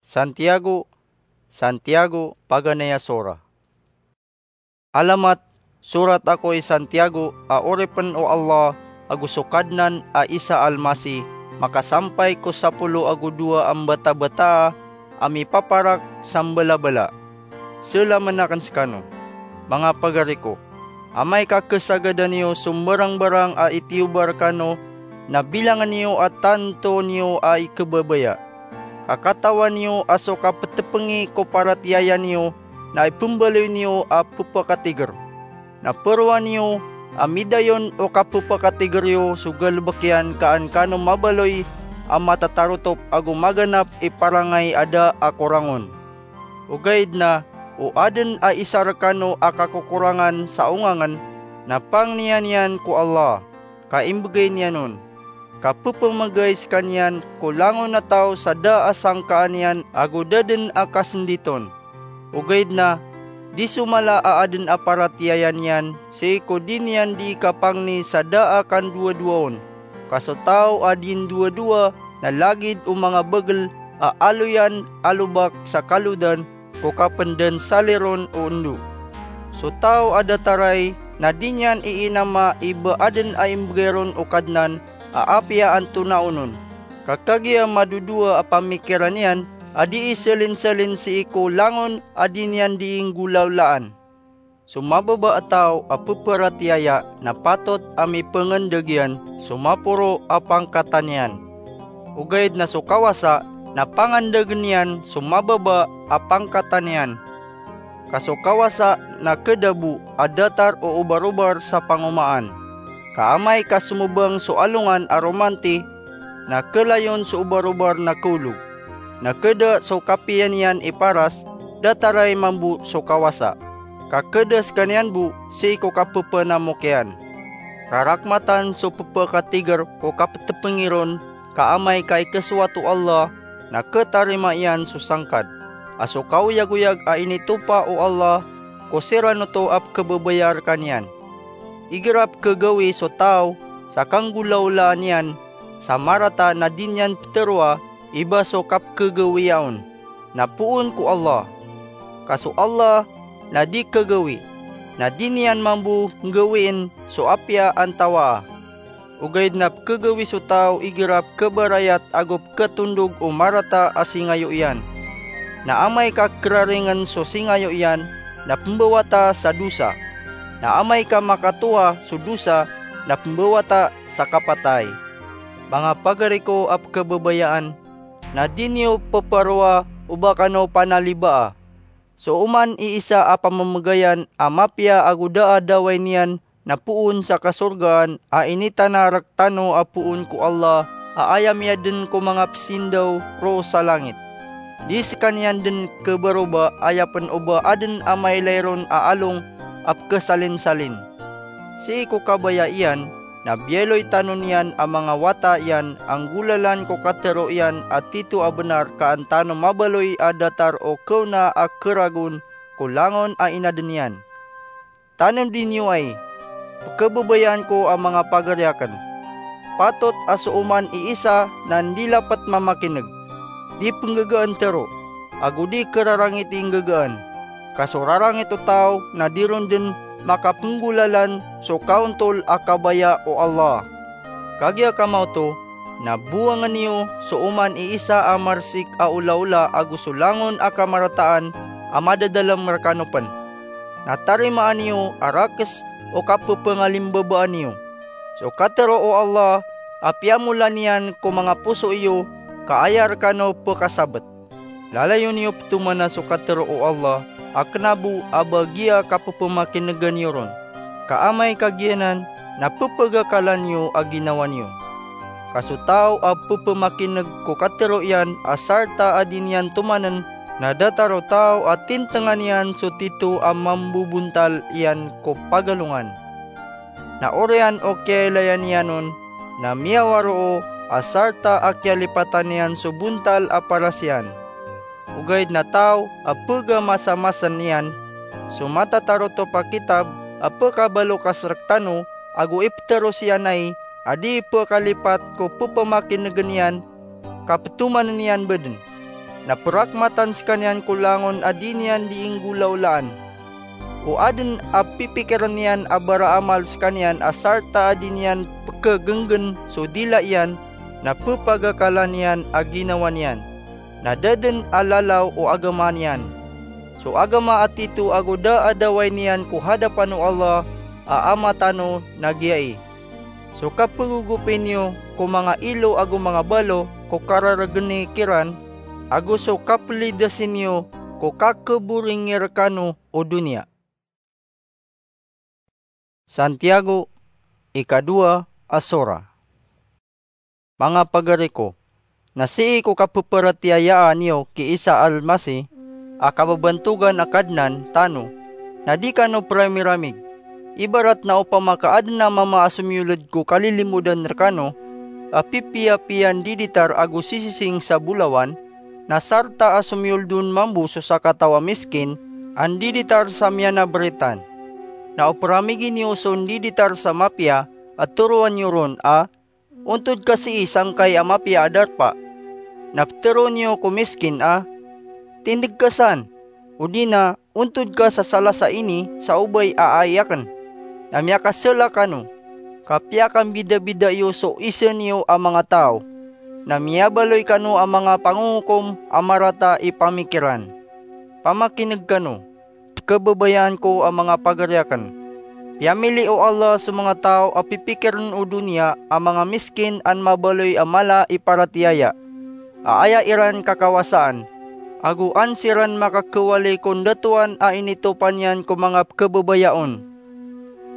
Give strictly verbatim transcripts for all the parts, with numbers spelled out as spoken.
Santiago, Santiago, paganay a sora. Alamat, sorat ako i Santiago a oripn o Allah ago so Kadnan a Isa Almasi, makasampay ko sapolo ago dowa a mbatabataa a mipaparak sa mbalabala. Selamen akn skano. Manga pagari ko, amay ka khasagadan iyo so mbarangbarang a itiyoba rkano, na bilangn iyo a tanto niyo a ikhababaya. Ka katawan iyo a so kaptpngi ko paratiyaya niyo na ipmbaloy niyo a pphakatigr. Na parowan iyo a midayon o kapphakatigr iyo so galbk iyan ka an kano mabaloy a matatarotop ago maganap i parangay a da a korangon. Ogaid na o adn a isa rkano a kakokorangan sa ongangn, na pangnin iyan ko Allah, ka imbgay niyan on. Ka pphamgay skaniyan ko langon a taw sa da a sangkaan iyan ago da dn a kasndit on. Ogaid na, di so mala a adn a paratiyaya niyan sii ko di niyan dii kapangni sa da a kandowadowa on. Ka so taw a di ndowadowa na lagid o manga bagl a aloyan a lobak sa kalodan ko kapndnsali ron o ndo. So taw a datar ai na di niyan iinama i ba adn a imbgay ron o Kadnan a apiya antonaa onon. Ka kagiya madodowa a pamikiran iyan a dii salinsalin sii ko langon a di niyan dii nggolawlaan. So mababa a taw a pparatiyaya na patot a mipngndg iyan so maporo a pangkatan iyan. Ogaid na so kawasa na pangndgn iyan so mababa a pangkatan iyan. Ka so kawasa na khada bo a datar o obarobar sa pangomaan. Ka amay ka somobang so alongan a romanti, na khalayon so obarobar na khaolog. Na khada so kapiya niyan i paras, datar ai mambo so kawasa. Ka khada skaniyan bo sii ko kapphanamokiyan. Rarakmatan so pphakatigr ko kaptpngi ron, ka amay ka ikasowat o Allah, na khatarima iyan so sangkad. A so kaoyagoyag a initopa o Allah ko siran oto a pkhababaya rkaniyan. Igira pkhagawii so taw sa kanggolawlaan iyan sa marata na di niyan ptharoa i ba so kapkhagawia on, na poon ko Allah. Ka so Allah na di khagawii, na di niyan mambo nggawiin so apiya antawaa. Ogaid na pkhagawii so taw igira pkhabarayat ago pkhatondog o marata a singayo iyan. Na amay ka kraringn so singayo iyan, na pmbawata sa dosa. Na amay ka makatoa so dosa, na pmbawata sa kapatay. Manga pagari ko a pkhababayaan, na di niyo pparoa o ba kano panalibaa. So oman i isa a pamamgayan a mapiya ago da a daway niyan na poon sa kasorgaan a initana rktano a poon ko Allah a aya miyadn ko manga psindaw roo sa langit. Di skaniyan dn khabaroba aya pn o ba adn a mailay ron a along a pkhasalinsalin. Sii ko kabaya iyan, na biyaloy tano niyan a manga wata iyan a nggolalan ko katharo iyan a tito a bnar ka an tano mabaloy a datar o khaona a kharagon ko langon a inadn iyan. Tanem di niyo ai, pkhababayaan ko a manga pagari akn. Patot a so oman i isa na ndilapet mamakineg, di pnggagaan tharo, ago di khararangiti nggagaan. Ka so rarangit o taw na di ron dn makapnggolalan so kaontol a kabaya o Allah. Kagiya kamaoto, na bowangn iyo so oman i isa a marsik a olaola ago so langon a kamarataan a madadalm rkano pn. Na tarimaan iyo a rakes o kapphangalimbabaan iyo. So katharo o Allah a piyamola niyan ko manga poso iyo ka aya rkano pkasabet. Lalayon iyo ptomana so katharo o Allah a kna bo a ba giya kapphamakinegan iyo ron. Ka amay ka giyanan na pphagakalan iyo a ginawa niyo. Ka so taw a pphamakineg ko katharo iyan a sarta a di niyan tomanen, na datar o taw a tintengan iyan so tito a mambobontal iyan ko pagalongan. Na oriyan o kiyailaya niyan on, na miyawaroo a sarta a kiyalipatan iyan so bontal a paras iyan. Ogaid na taw a pegamasamasa niyan so matatarotop a kitab a pekabalokas rektano, ago ipteros iyan ai a di pekalipat ko pepemakinegen iyan, ka petomanen iyan beden. na perakmatan sekaniyan ko langon a di niyan dii nggolawlaan. O aden a pipikeren iyan a baraamal sekaniyan a sarta a di niyan pekegenggen so dila iyan, na pepagakalan iyan a ginawa niyan, na da den a lalaw o agama niyan. So agama a tito ago da a daway niyan ko hadapan o Allah a Ama tano na giyai: so kapegogopi niyo ko manga ilo ago manga balo ko kararageni kiran, ago so kapelidasi niyo ko kakeboringi rekano o doniya. Santiago, ikadowa a sora. Manga pagari ko, na sii ko kapeperatiyayaa niyo ki Isa Almasih a kababantogan a Kadnan tano, na di kano peramiramig. Ibarat na opama ka aden a mama a somiyoled ko kalilimodan rekano a pipiyapiyan diditar ago sisising sa bolawan, na sarta a somiyold on mambo so sakataw a miskin a ndiditar sa miyanabaritaan. Na o peramigi niyo so ndiditar sa mapiya a toroan iyo ron a, "Ontod ka sii sangkai a mapiya a darpa." Na petero niyo ko miskin a, "Tindeg ka san," odi na, "Ontod ka sa salasa ini sa obay a ai aken." Na miyakasela kano, ka piyakambidabida iyo so isen iyo a manga taw, na miyabaloy kano a manga pangongokom a marata i pamikiran. Pamakineg kano, kababayaan ko a manga pagari aken. Piyamili o Allah so manga taw a pipikiren o doniya a manga miskin an mabaloy a mala i paratiyaya, a aya iran kakawasaan, ago an siran makakewali ko ndatoan a initopan iyan ko manga pekebebaya on.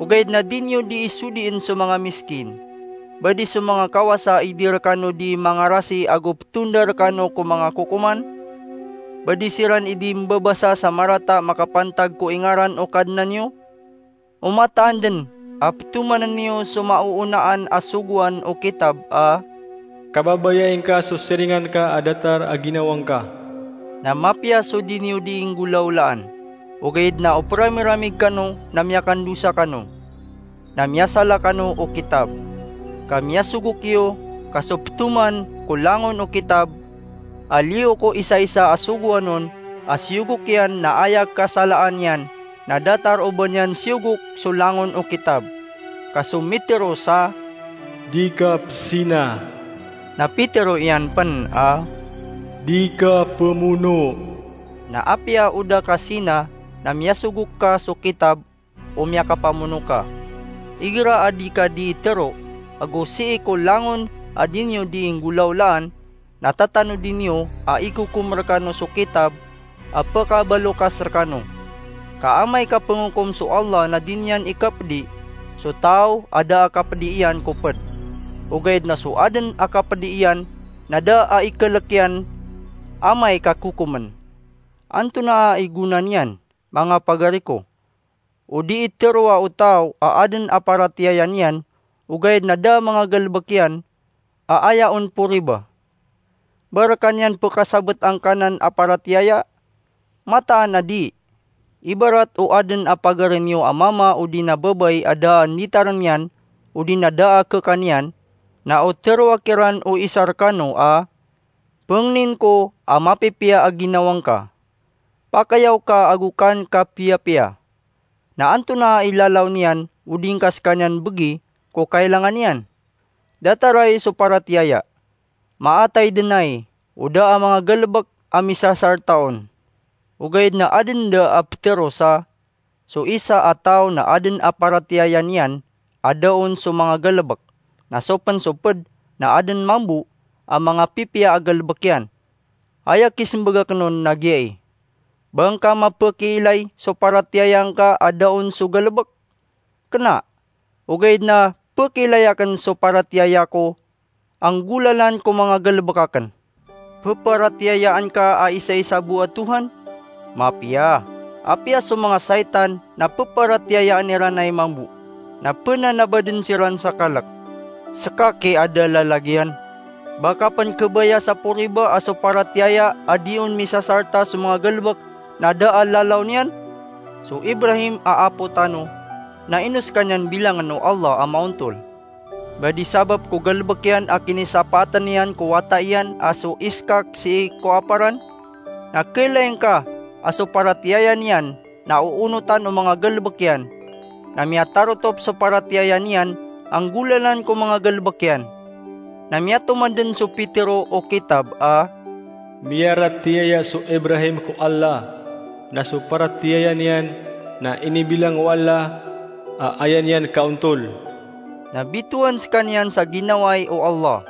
Ogaid na di niyo dii sodien so manga miskin. Ba di so manga kawasa i di rekano dii mangarasi ago petonda rekano ko manga kokoman? Ba di siran i di mbabasa sa marata makapantag ko ingaran o Kadnan iyo? O mataan den a petomanen iyo so maoonaan a sogoan o kitab a, "Kababayai ngka so siringan ka a datar a ginawang ka." Na mapiya so di niyo dii nggolawlaan, ogaid na o peramiramig kano na miyakandosa kano, na miyasala kano o kitab. Ka miyasogok iyo, ka so petoman ko langon o kitab a liyo ko isaisa a sogoan on a siyogok iyan na aya kasalaan iyan, na datar o ba niyan siyogok so langon o kitab. Ka so mitero sa, "Di ka pesina." Na pitero iyan pen a, "Di ka pemono." Na apiya o da ka sina, na miyasogok ka so kitab o miyakapamono ka. Igira a di ka dii tero, ago sii ko langon a di niyo dii nggolawlaan, na tatanodi niyo a ikokom rekano so kitab a pekabalokas rekano. Ka amay ka pengokom so Allah na di niyan ikapedi so taw a da a kapedi iyan ko ped. Ogaid na so aden a kapedi iyan na da a ikelek iyan amay ka kokomen. Antonaa i gona niyan, manga pagari ko? O di iteroa o taw a aden a paratiyaya niyan, ogaid na da a manga galebek iyan a aya on po riba? Ba rekan iyan pekasabet angkanan a paratiyaya? Mataan a di. Ibarat o aden a pagari niyo a mama odi na babay a da a nditaren iyan odi na da a kekan iyan, na o teroa kiran o isa rekano a, "Pengnin ko a mapipiya a ginawang ka. Pakayaw ka ago kan ka piyapiya." Na antonaa i lalaw niyan odi ngka sekaniyan begi ko kailangan iyan? Datar ai so paratiyaya. Maatay den ai o da a manga galebek a misasarta on. Ogaid na aden da a petero sa, so isa a taw na aden a paratiyaya niyan a da on so manga galebek, na so pen so ped na aden mambo a manga pipiya a galebek iyan. Aya kisembag aken on na giyai: Ba ngka mapekiilay so paratiyaya ngka a da on so galebek? Kena, ogaid na pekiilay aken so paratiyaya ko a nggolalan ko manga galebek aken. Peparatiyayaan ka a isaisa bo a Tuhan? Mapiya. Apiya so manga saitan na peparatiyayaan iran ai mambo, na penanabaden siran sa kalek. Seka ki a da lalagiyan. Ba ka pen kebaya sa po riba a so paratiyaya a di on misasarta so manga galebek na da a lalaw niyan? So Ibrahim a apo tano na ino sekaniyan bilangen o Allah a maontol? Ba di sabap ko galebek iyan a kinisapaatan iyan ko wata iyan a so Iskak sii ko aparan? na khailay ngka a so paratiyaya niyan na oonotan o manga galebek iyan, na miyatarotop so paratiyaya niyan a nggolalan ko manga galebek iyan. Na miyatomanden so Petero o kitab a, "Miyaratiyaya so Ibrahim ko Allah, na so paratiyaya niyan na inibilang o Allah a aya niyan kaontol." Na bitowan sekaniyan sa ginawai o Allah.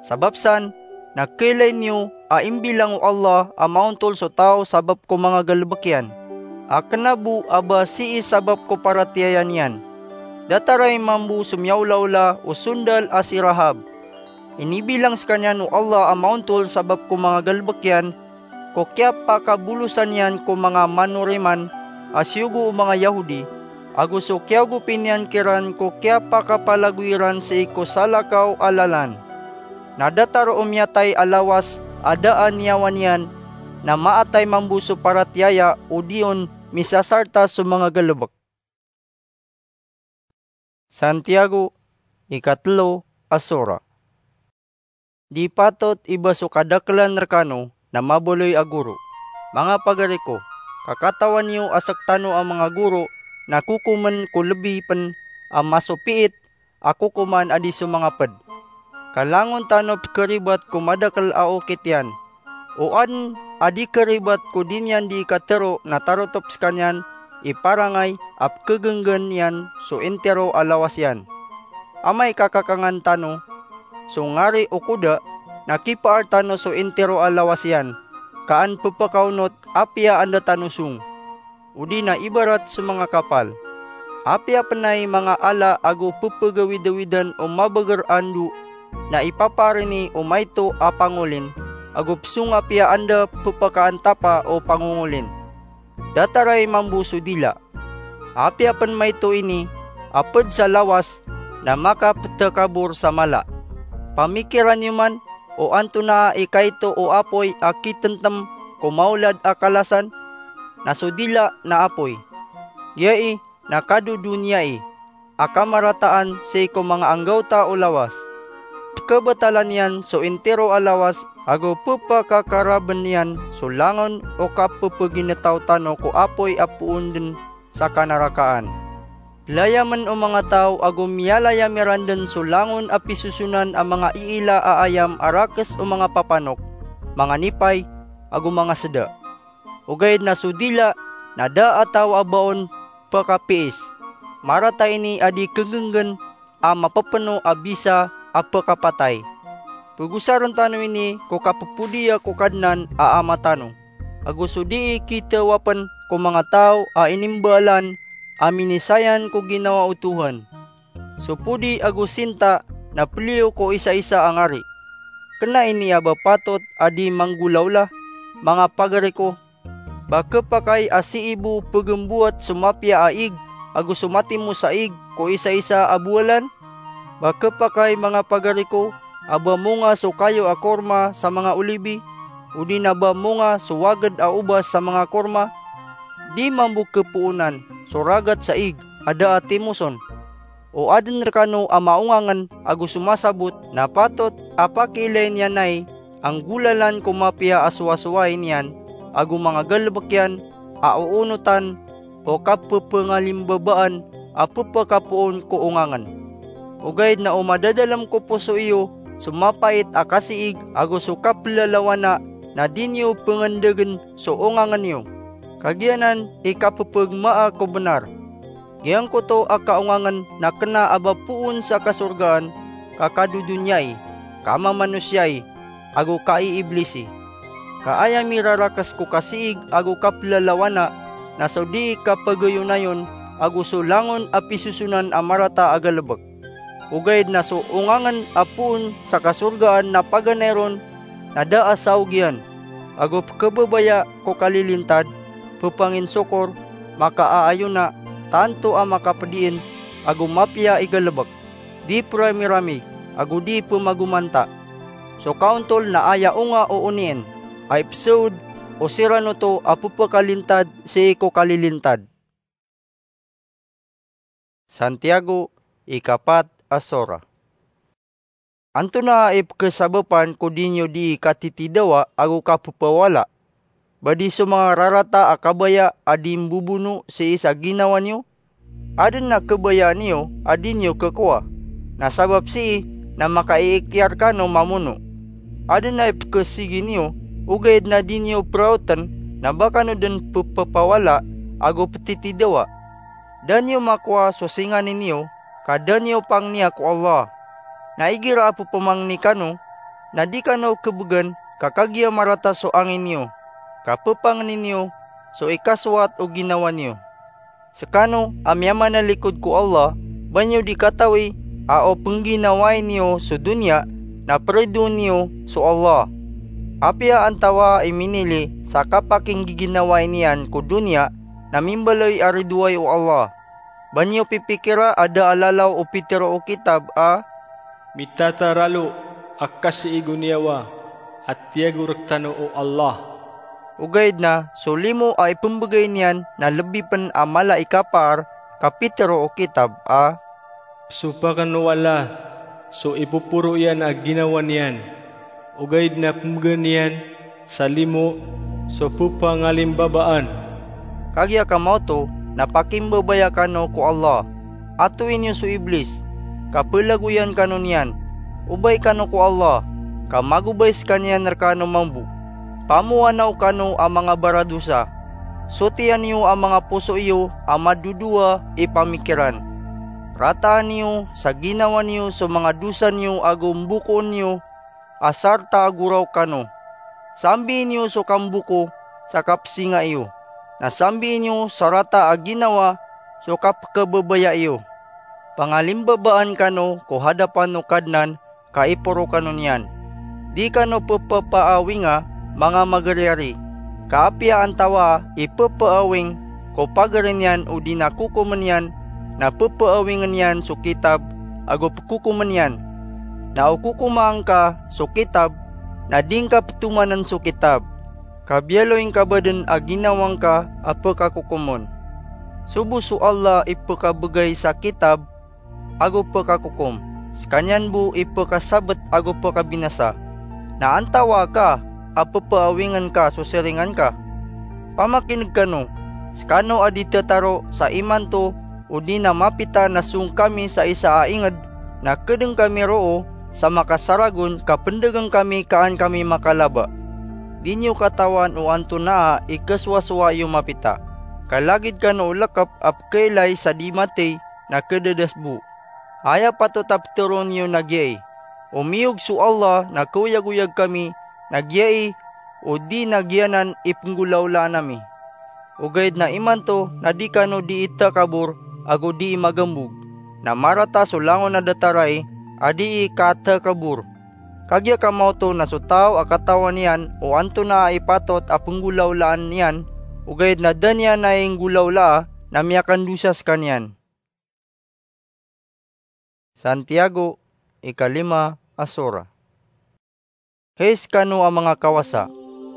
Sabap san, na khailay niyo a imbilang o Allah a maontol so taw sabap ko manga galebek iyan, a kena bo a ba sii sabap ko paratiyaya niyan. Datar i mambo so miyaolaola o sondal a si Rahab. Inibilang sekaniyan o Allah a maontol sabap ko manga galebek iyan, ko kiyapakabolosan iyan ko manga manoriman a siyogo o manga Yahodi, ago so kiyaogopi niyan kiran ko kiyapakapalagoy iran sii ko salakaw a lalan. Na datar o miyatay a lawas a da a niyawa niyan, na maatay mambo so paratiyaya odi on misasarta so manga galebek. Santiago, ikatelo a sora. Di patot i ba so kadakelan rekano na mabaloy a goro. Manga pagari ko, ka katawan iyo a sektano a manga goro na kokomen ko lebi pen a masopiit a kokoman a di so manga ped. Ka langon tano pekeribat ko madakel a okit iyan. O aden a di keribat ko di niyan di katero na tarotop sekaniyan i parangay a pekegenggen iyan so intiro a lawas iyan. Amay ka kakangan tano so ngari o koda, na kipaar tano so intiro a lawas iyan, ka an pepekaonot apiya anda tano song. Odi na ibarat so manga kapal. Apiya pen ay manga ala ago pepegawidawidan o mabeger a ndo, na ipapaar ini o maito a pangolin, ago pesong apiya anda pepekaantapa o pangongolin. Datar i mambo so dila. Apiya pen maito ini a ped sa lawas, na makapetekabor sa mala. Pamikiran iyo man, o antonaa i kaito o apoy a kitentem ko maolad a kalasan? Na so dila na apoy. Giyai na kadodoniyai a kamarataan sii ko manga anggawta o lawas. Pekebetalan iyan so intiro a lawas ago pepakakaraben iyan so langon o kapepeginetaw tano ko apoy a poon den sa kanarakaan. Layamen o manga taw ago miyalayam iran den so langon a pisosonan a manga iila a ayam a rakes o manga papanok, manga nipay, ago manga seda. Ogaid na so dila na da a taw a ba on pekapiis. Marata ini a di kegenggen a mapepeno a bisa a pekapatay. Pegosaren tano ini ko kapepodiya ko Kadnan a Ama tano, ago so dii kitawapen ko manga taw a inimbaalan a minisayan ko ginawa o Tuhan. So podi ago sinta na peliyo ko isaisa a ngari. Kena ini a ba patot a di manggolawla, manga pagari ko, ba kepakay a sii bo pegemboat so mapiya a ig ago so matimos a ig ko isaisa a bowalan? Ba kepakay, manga pagari ko, a ba monga so kayo a korma sa manga olibi, odi na ba monga so waged a obas sa manga korma? Di mambo kepoonan so ragat sa ig a da a timoson. O aden rekano a maongangen ago somasabot na patot a pakiilay niyan ai a nggolalan ko mapiya a sowasowai niyan ago manga galebek iyan a oonotan o kapepengalimbabaan a pepekapoon ko ongangen. Ogaid na o madadalem ko poso iyo so mapait a kasiig ago so kapelalawana, na di niyo pengendegen so ongangen iyo. Kagiya nan i kapepegmaa ko benar. Giyangkoto a kaongangen na kena a ba poon sa kasorgaan, ka kadodoniyai, kamamanosiyaai, ago kaiiblisi. Ka aya mirarakes ko kasiig ago kapelalawana na so dii kapegeyonayon ago so langon a pisosonan a marata a galebek. Ogaid na so ongangen a poon sa kasorgaan na paganay ron na da a saog iyan, ago pekebebaya ko kalilintad, pepanginsokor, makaaayona, tanto a makapediin, ago mapiya i galebek, di peramiramig, ago di pemagomanta. So kaontol na aya onga o onien a ipesaod o siran oto a pepekalintad sii ko kalilintad. Santiago, ikapat a sora. Antonaa i pekesabapan ko di niyo dii katitidawa ago kapepawala? ba di so manga rarata a kabaya a di mbobono sii sa ginawa niyo? Adn a kabayaan iyo a di niyo khakowa, na sabap sii na makaiiktiyar kano mamono. Adn a ipkhasigi niyo, ogaid na di niyo praotn na ba kano dn pphapawala ago pthitidawa. Da niyo makowa so singani niyo, ka da niyo pangniya ko Allah. Na igira a pphamangni kano, na di kano khabgan ka kagiya marata so angin iyo, ka ppangni niyo so ikasowat o ginawa niyo. Skano a miyamanalikod ko Allah, ba niyo di katawi a o pngginawai niyo so doniya na pridoon niyo so Allah. Apiya antawaa i minili sa kapakinggiginawa niyan ko doniya na mimbaloy a ridoay o Allah. Ba niyo pipikira a da a lalaw o pitharo o kitab a mitataralo a kasii goniyawa a tiyago rktano o Allah. Ogaid na so limo a ipmbgay niyan na lbi pn a mala i kapaar ka pitharo o kitab a psopakn o Allah so ipoporo iyan a ginawa niyan, ogaid na pmbgan iyan sa limo so ppangalimbabaan. Kagiya kamaoto na pakimbabaya kano ko Allah. Atowi niyo so Iblis, ka plagoyan kano niyan. Obay kano ko Allah, ka magobay skaniyan rkano mambo. Pamoanaw kano a manga baradosa. Sotiya niyo a manga poso iyo a madodowa i pamikiran. Rataan niyo sa ginawa niyo so manga dosa niyo ago mbokoon niyo a sarta a goraok kano. Sambii niyo so kamboko sa kapsinga iyo, na sambii niyo sa rata a ginawa so kapkhababaya iyo. Pangalimbabaan kano ko hadapan o Kadnan ka iporo kano niyan. Di kano pphapaawinga, manga magariyari, ka apiya antawaa i pphaawing ko pagari niyan odi na kokomn iyan, na pphaawingn iyan so kitab ago pkokomn iyan. Na o kokomaa ngka so kitab, na di ngka ptomann so kitab, ka biyaloy ngka ba dn a ginawa ngka a pkakokomn. Sobo so Allah i pkabgay sa kitab ago pkakokom, skaniyan bo i pkasabt ago pkabinasa. Na antawaa ka a pphaawingn ka so siringan ka? Pamakin'g kano, skano a di tataro sa imanto odi na mapita na song kami sa isa a ingd, na kdng kami roo sa makasaragon ka pndgn kami ka an kami makalaba. Di niyo katawan o antonaa i kasowasowa iyo mapita. Ka lagid kano o lkp a pkhailay sa di mathay na khadadas bo. Aya patot a ptharoon iyo na giyai, o miyog so Allah na kaoyagoyag kami, na giyai o di na giyanan i pnggolawlaan ami. Ogaid na imanto na di kano dii takabor ago dii magambog, na marata so langon a datar ai a dii katakabor. Kagiya kamaoto na so taw a katawan iyan o antonaa i patot a pnggolawlaan iyan, ogaid na da niyan ai nggolawlaa, na miyakandosa skaniyan. Santiago, ikalima a sura. Hay skano a manga kawasa,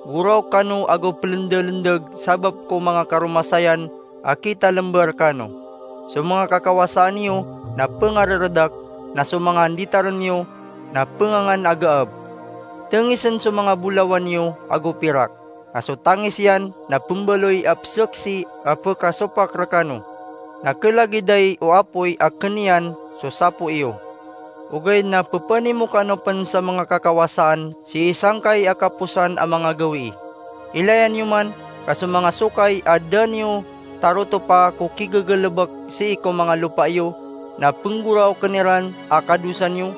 goraok kano ago plndalndg sabap ko manga karomasayan a kitalmba rkano. So manga kakawasaan iyo na pngarardak, na so manga nditarn iyo na pngangan a gaab. Tngisn so manga bolawan iyo ago pirak, na so tangis iyan na pmbaloy a pzaksi a pkasopak rkano, na klagid ai o apoy a kn iyan so sapo iyo. Ogaid na ppanimo kano pn sa manga kakawasaan sii sangkai a kaposan a manga gawii. Ilayan iyo man ka so manga sokay a da niyo tarotopa ko kigagalbk sii ko manga lopa iyo na pnggoraokn iran a kadosa niyo,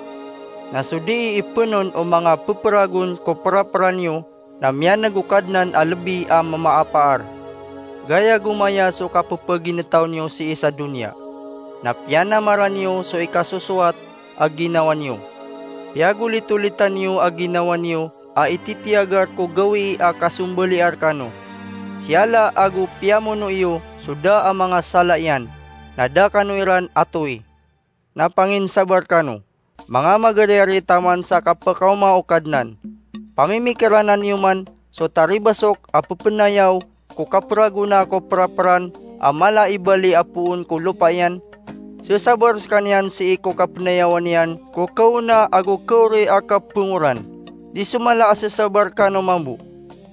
na so dii ipnon o manga ppragon ko prapran iyo na miyan'g o Kadnan a lbi a mamaapaar. Gaya go maya so kapphagintaw niyo sii sa doniya, na piyanamaran iyo so ikasosowat a ginawa niyo. Piyagolitolitan iyo a ginawa niyo a ititiyagar ko gawii a kasombaliya rkano. Siyala ago piyamono iyo so da a manga sala iyan, na da kano iran atowi. Na panginsabar kano, manga magariyari taman sa kapkaoma o Kadnan. Pamimikiranan iyo man so taribasok a ppnayaw ko kapragona ko prapran a mala i bali a poon ko lopa iyan. Sesabar skaniyan sii ko kapnayawan iyan ko kaona ago kaori a kapngoran. Di so mala a sesabar kano mambo.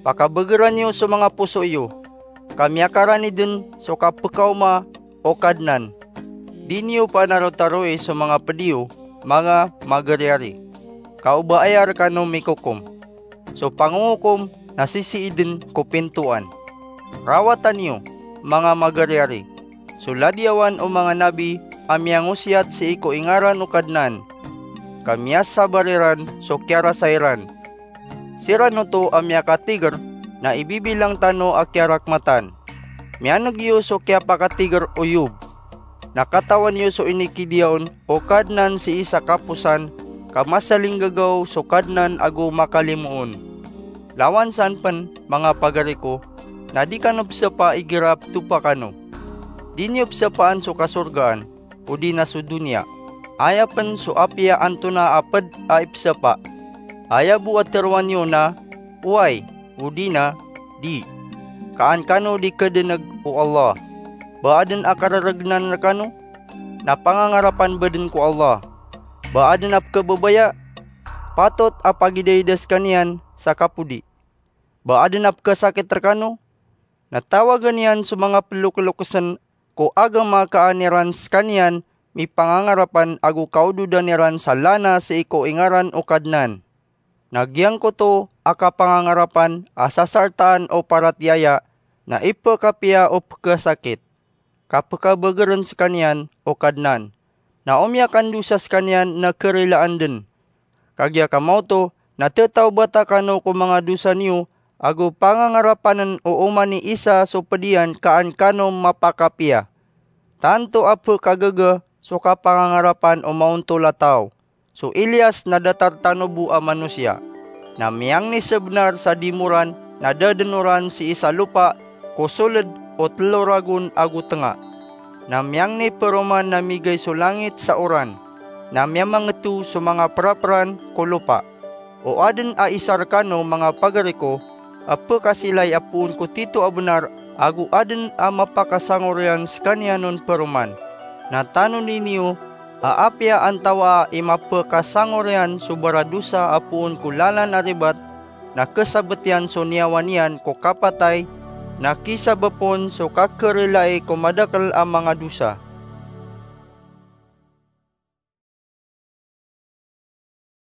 Pakabegeran iyo so manga poso iyo, ka miyakarani den so kapekaoma o Kadnan. Di niyo panarotaroi so manga ped iyo, manga mageriyari, ka o ba aya rekano mikokom. So pangongokom na sisii den ko pintoan. Rawata niyo, manga mageriyari, so ladiyawan o manga nabi a miyangosiyat sii ko ingaran o Kadnan, ka miyasabar iran so kiyarasay ran. Siran oto a miyakatiger na ibibilang tano a kiyarakmatan. Miyaneg iyo so kiyapakatiger o Yob. Na katawan iyo so inikidiya on o Kadnan sii sa kaposan, ka masalinggagaw so Kadnan ago makalimoon. Lawan san pen, manga pagari ko, na di kano pesapa igira petopa kano. Di niyo pesapaan so kasorgaan, odi na so doniya. Aya pen so apiya antonaa a ped a ipesapa. Aya bo a teroan iyo na, oway, odi na, di. Ka an kano di kedeneg o Allah. Ba aden a kareregnan rekano, na pangangarapan beden ko Allah. Ba aden a pekebebaya, patot a pagidaida sekaniyan sa kapodi. Ba aden a pekesakit rekano, na tawagen iyan so manga pelokelokesen ko agama ka an iran sekaniyan mipangangarapan ago kaododan iran sa lana sii ko ingaran o Kadnan. Na giyangkoto a kapangangarapan a sasartaan o paratiyaya na ipekapiya o pekesakit, ka pekabegeren sekaniyan o Kadnan, na o miyakandosa sekaniyan na kerilaan den. Kagiya kamaoto na tetawbata kano ko manga dosa niyo ago pangangarapanen o oman i isa so ped iyan ka an kano mapakapiya. Tanto a pekagaga so kapangangarapan o maontol a taw. So Elias na datar tano bo a manosiya. Na miyangni sebenar sa dimoran na dadenoran sii sa lopa ko soled o telo ragon ago tenga. Na miyangni peroman na migay so langit sa oran, na miyamangeto so manga peraperan ko lopa. O aden a isa rekano, manga pagari ko, a pekasilay a poon ko tito a benar, ago aden a mapakasangor iyan sekaniyan on peroman. Na tanodi niyo a apiya antawaa i mapekasangor iyan so baradosa a poon ko lalan a ribat, na kesabet iyan so niyawa niyan ko kapatay, na kisabap on so kakerelai ko madakel a manga dosa.